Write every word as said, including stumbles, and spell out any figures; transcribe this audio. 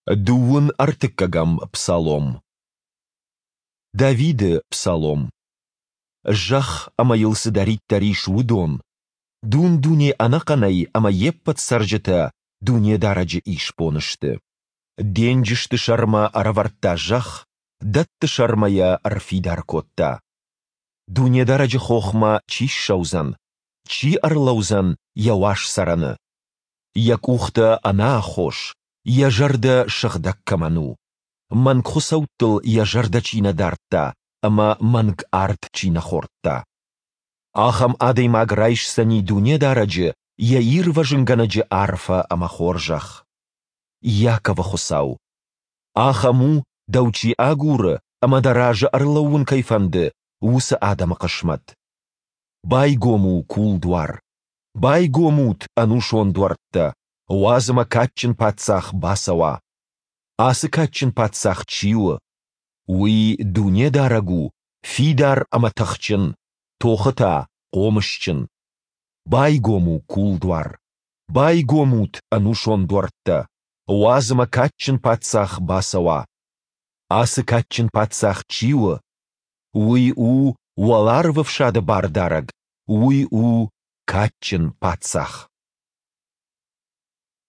Дыууын ӕртыккӕгӕм псалом. Давиды псалом. Зӕхх ӕмӕ йыл цыдӕриддӕр ис, уыдон, дун-дуне ӕнӕхъӕнӕй ӕмӕ йе ппӕт цӕрджытӕ Дунедарӕджы исбон сты. Денджызты сӕрмӕ ӕрӕвӕрдта зӕхх, дӕтты сӕрмӕ йӕ ӕрфидар кодта. Дунедарӕджы хохмӕ чи ссӕудзӕн, чи ӕрлӕудзӕн Йӕ уаз цӕрӕны? Йӕ къухтӕ ӕнаххос, йӕ зӕрдӕ сыгъдӕг кӕмӕн у, мӕнгхуыцӕуттыл йӕ зӕрдӕ чи нӕ дардта ӕмӕ мӕнг ард чи нӕ хордта. Ахӕм адӕймаг райсдзӕни Дунедарӕджы, йӕ Ирвӕзынгӕнӕджы арфӕ ӕмӕ хорзӕх. Иаковы Хуыцау! Ахӕм у, дӕу чи агуры ӕмӕ дӕ разы ӕрлӕууын кӕй фӕнды, уыцы адӕмы хъысмӕт. Байгом у кулдуар! Байгом ут, ӕнусон дуӕрттӕ! Уадз ӕмӕ кадджын паддзах бацӕуа. Ацы кадджын паддзах чи у? Уый Дунедарӕг у, фидар ӕмӕ тыхджын, тохы та хъомысджын. Байгом у кулдуар! Байгом ут, ӕнусон дуӕрттӕ! Уадз ӕмӕ кадджын паддзах бацӕуа. Ацы кадджын паддзах чи у? Уый у Уӕларвӕфсады Бардарӕг, уый у кадджын паддзах.